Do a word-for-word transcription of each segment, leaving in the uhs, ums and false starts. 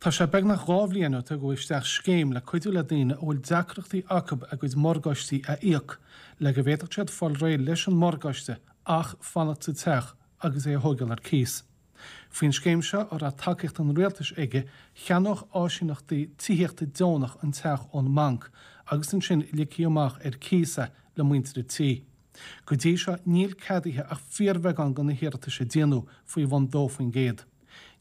Tá sé beagnach dhá bhliain ó tugadh isteach scéim le cuidiú le daoine a bhfuil deacrachtaí acu a gcuid morgáistí a íoc, le go bhféadfadh siad fáil réidh leis an morgáiste ach fanacht sa teach agus é a thógáil ar cíos. Faoin scéim seo a raibh tacaíocht an rialtais aige cheannódh áisíneachtaí tithíochta deonach an teach ón mbanc agus ansin ligfí amach ar cíos é le muintir an tí. Go dtí seo níl ceadaithe ach fíorbheagán de na hiarratais a déanadh faoi bhun dó faoin gcéad.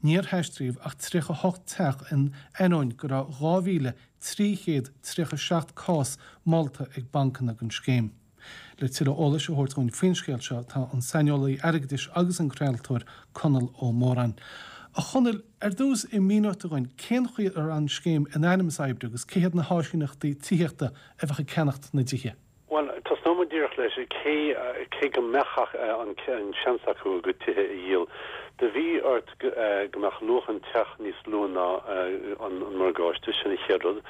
Níor taistríodh ach tríocha hocht teach in ainneoin go raibh dhá mhíle trí chéad tríocha seacht cás molta ag bancanna don scéim. Le tuilleadh eolais a thabhairt dúinn faoin scéal seo tá an saineolaí airgeadais agus an craoltóir Conall Ó Móráin. A Chonaill, ar dtús an míneofá dúinn cén chaoi a raibh an scéim in ainm is oibriú agus cé hiad na háisíneachtaí tithíochta a bheadh ag ceannacht na dtithe. Bhuel, tosnóidh muid díreach leis cé cé go mbeadh an an seans acu a gcuid tithe a dhíol. Do bhí ort go mbeadh luach an teach níos lú ná an an morgáiste sin an chéad rud,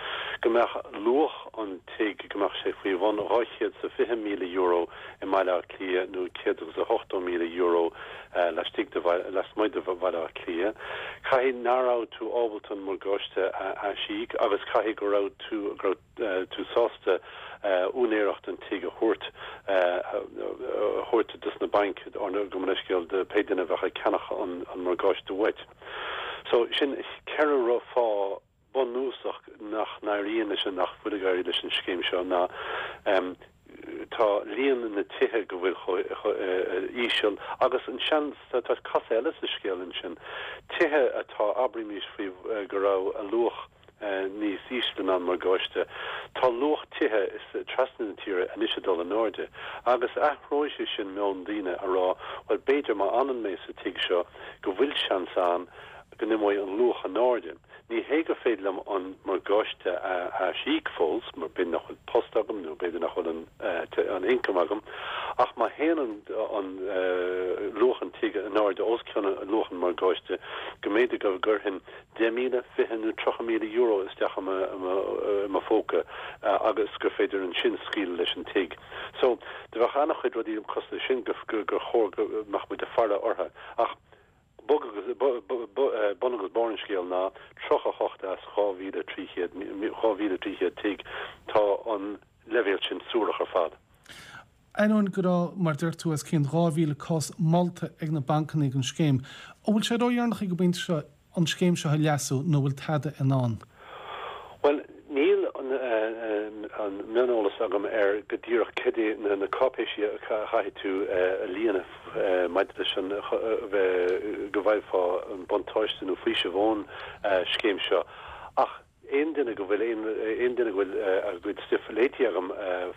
go mbeadh luach an tigh go mbeadh sé faoi bhun dhá chéad is fiche míle euro i mBaile Átha Cliath nó céad agus a hochtó míle euro laistigh de lasmuigh de Bhaile Átha Cliath. Caithfidh nach raibh tú ábalta an morgáiste a aisíoc agus caithfidh go raibh tú go raibh tú sásta úinéireacht an tigh a thabhairt a thabhairt dos na bainc gabh mo leithscéal do pé duine a bheadh ag ceannach an an morgáiste uait. So sin ceithre fáth bunúsach nach n-éiríonn leis an nach bhfuil ag éirí leis an scéim seo ná um, tá líon na tithe go bhfuil íseal agus an seans tá cás eile sa scéal ansin. Tithe atá abraimis faoi go raibh a luach níos ísle ná an morgáiste. Tá luach tithe is trasna na tíre anois ag dul in airde, agus athróidh sé sin meon daoine a rá well b'fhéidir má fhanann mé sa tigh seo go bhfuil seans ann go n-imeoidh an luach in airde. Ní hé gur féidir liom an morgáiste a aisíoc fós, mar b'fhéidir nach bhfuil post agam nó b'fhéidir nach bhfuil an an income agam, ach má théann an an luach an tigh in airde os cionn luach an morgáiste go mb'fhéidir go gcuirfinn deich míle, fiche nó tríocha míle euro isteach i mo phóca agus gur féidir ansin scaoileadh leis an tigh. So do bheadh an-chuid rudaí cosúil leis sin gur chóir go mbeadh muid ag faire orthu. Ach bun agus barr an scéil ná tríocha hocht as dhá mhíle trí chéad dhá mhíle trí chéad tigh tá an leibhéal sin suarach ar fad. Ainneoin go raibh, mar deir tú, os cionn dhá mhíle cás molta ag na bancanna don scéim, an bhfuil sé ródheireanach ag an bpointe seo an scéim seo a leasú nó bhfuil tada i ndán? Well, níl an, an mioneolas agam ar go díreach cad é na, na cáipéisí a chaithfidh tú a líonadh maidir leis an go bhfaighfeá an buntáiste nó faoiseamh ón scéim seo. Ach aon duine go bhfuil aon aon duine go bhfuil a gcuid stuif léite agam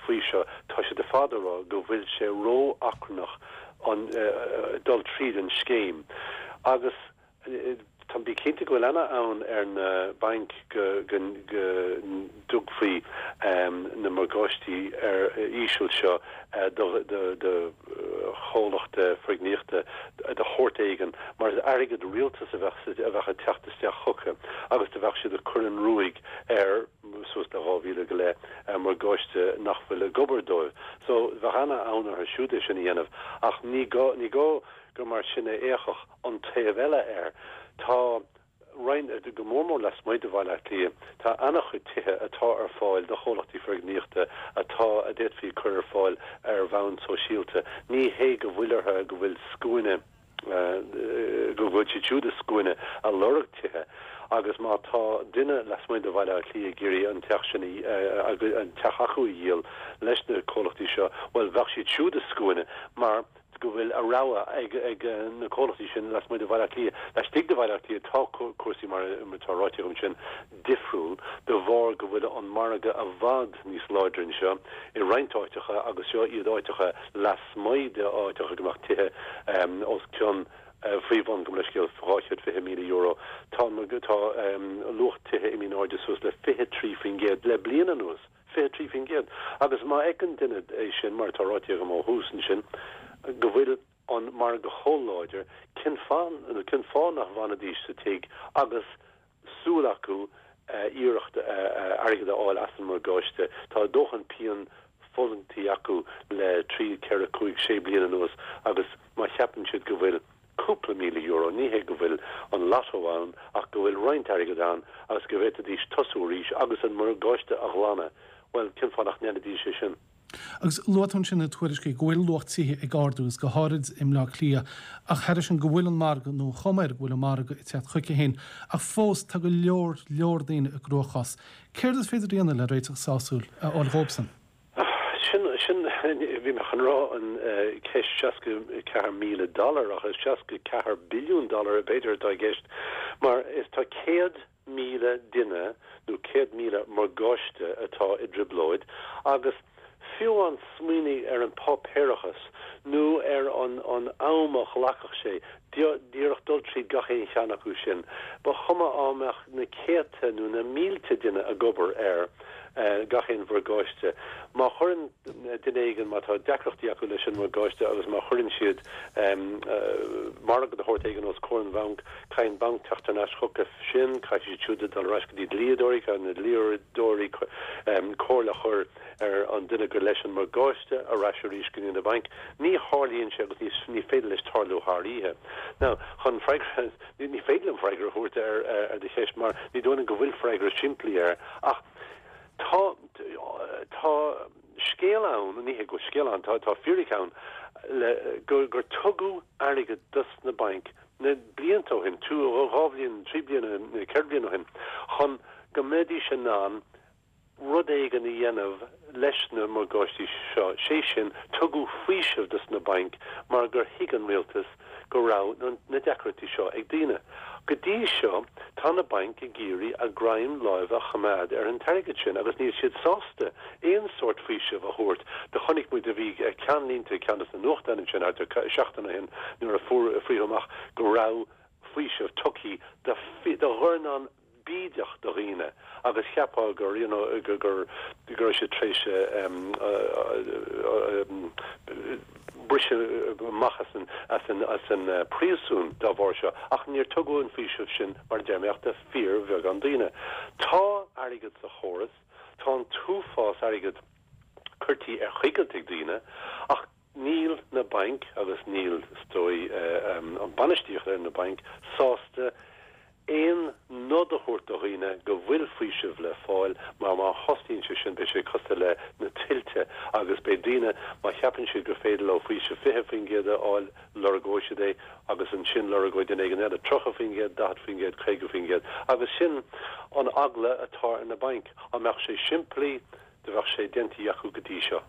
faoi seo, tá siad ar fad ag rá go bhfuil sé ró-achrannach an dul tríd an scéim. Agus tá bí cinnte go bhfuil ana-fhonn ar na bainc go go go dtugfaí na morgáistí ar íseal seo do do do chomhlacht foirgníochta de shórt éigin mar is airgead rialtais a bheadh a bheadh ag teacht isteach chucu agus do bheadh siad ag cur an ruaig ar suas le dhá mhíle go leith morgáiste nach bhfuil ag obair dóibh. So bheadh ana-fhonn orthu siúd é sin a dhéanamh ach ní gá ní gá gur mar sin a fhéachfadh an taobh eile air. Tá roinnt go mór mór lasmuigh de Bhaile Átha Cliath, tá an-chuid tithe atá ar fáil do chomhlachtaí foirgníochta atá a d'fhéadfaí cur ar fáil ar bhonn sóisialta. Ní hé go bhfuil orthu go bhfuil scuaine go bhfuil siad siúd i scuaine a lorg tithe agus má tá duine lasmuigh de Bhaile Átha Cliath ag iarraidh an teach sin an teach acu a dhíol leis na comhlachtaí seo, bhuel bheadh siad siúd i scuaine mar go bhfuil a rogha ag ag na comhlachtaí sin lasmuigh de Bhaile Átha Cliath. Laistigh de Bhaile Átha Cliath tá cúrsaí mar atá ráite agam sin difriúil de bharr go bhfuil an margadh i bhfad níos láidre anseo i roinnt áiteacha agus seo iad áiteacha lasmuigh de áiteacha go mbeadh tithe os cionn faoi bhun gabh mo leithscéal dhá chéad fiche míle euro. Tá tá luach tithe imithe in airde suas le fiche trí faoin gcéad le bliain anuas. fiche trí faoin gcéad. Agus má fheiceann duine é sin, mar atá ráite agam ó thús ansin, go bhfuil an margadh chomh láidir, cén fáth, nó cén fáth nach bhfanfaidís sa tigh agus súil acu iarracht airgead a fháil as an morgáiste? Tá a ndóthain pian fulaingtí acu le trí, ceithre, cúig, sé bliana anuas agus má cheapann siad go bhfuil cúpla míle euro, ní hé go bhfuil an lotto ann ach go bhfuil roinnt airgead ann agus go bhféadfaidís tosú arís agus an morgáiste a ghlanadh, bhuel, cén fáth nach ndéanfaidís é sin? Agus luaigh tú ansin na tuairiscí go bhfuil luach tithe ag ardú agus go háirid i mBleá Cliath ach thairis sin go bhfuil an margadh nó an chuma air go bhfuil an margadh ag teacht chuige féin ach fós tá go leor leor daoine i gcruachás. Céard is féidir a dhéanamh le réiteach sásúil a fháil dhóibhsan? Sin, sin, bhí mé chun rá an ceist seasca ceathair míle dollar ach is seasca ceathair billiún dollar b'fhéidir atá i gceist mar is tá céad míle duine nó céad míle morgáiste atá i dtrioblóid agus fiú an smaoinigh ar an páipéarachas nó ar an an am a ghlacfadh sé díreach dul tríd gach aon cheann acu sin, ba chuma á mbeadh na céadta nó na mílte duine ag obair ar gach aon mhorgáiste. Má chuireann duine éigin, má tá deacrachtaí acu leis an morgáiste agus má chuireann siad margadh de shórt éigin os comhair an bhainc, caithfidh an banc teacht thar n-ais chucu sin, caithfidh siad siúd dul ar ais go dtí dlíodóirí, caithfidh na dlíodóirí comhairle a chur ar an duine gur leis an morgáiste ar ais arís go dtí na bainc. Ní tharlaíonn sé agus ní féidir leis tarlú thar oíche. Now, chun freagra, ní féidir liom freagra a thabhairt ar ar do cheist mar ní dóigh liom go bhfuil freagra simplí air ach tá tá scéal ann, ní hé go bhfuil scéal ann, tá tá fíric ann le gur gur tugadh airgead dos na bainc na blianta ó shin, dhá bhliain, trí bliana, ceithre bliana ó shin, chun go mbeidís in ann rud éigin a dhéanamh leis na morgáistí seo, sé sin, tugadh faoiseamh dos na bainc mar gur thuig an rialtas go raibh na deacrachtaí seo ag daoine. Go dtí seo, tá na bainc ag iarraidh a greim láimhe a choimeád ar an t-airgead sin agus níl siad sásta aon sórt faoisimh a thabhairt. Do chonaic muid, do bhí ceannlínte i gceann des na nuachtáin ansin thart ar seachtain ó shin nuair a fuair, frítheadh amach go raibh faoiseamh tugtha do dhornán bídeach de dhaoine agus cheapfá gur you know gur gur go raibh siad tar éis briseadh amach as an as an as an príosún dá bharr seo ach níor tugadh an faoiseamh sin mar a deir mé ach do fíorbheagán daoine. Tá airgead sa chóras, tá an t-uafás airgid curtha ar choigilt ag daoine ach níl na bainc agus níl is dóigh an bainistíocht ar na bainc sásta aon nod a thabhairt do dhaoine go bhfuil faoiseamh le fáil mar má thosaíonn sé sin beidh sé cosúil le na tuilte agus beidh daoine má cheapann siad gur féidir leo faoiseamh fiche faoin gcéad a fháil lorgóidh siad é agus ansin lorgóidh duine éigin eile tríocha faoin gcéad, daichead faoin gcéad, caoga faoin gcéad agus sin an eagla atá ar na bainc. Dá mbeadh sé simplí do bheadh sé déanta acu go dtí seo.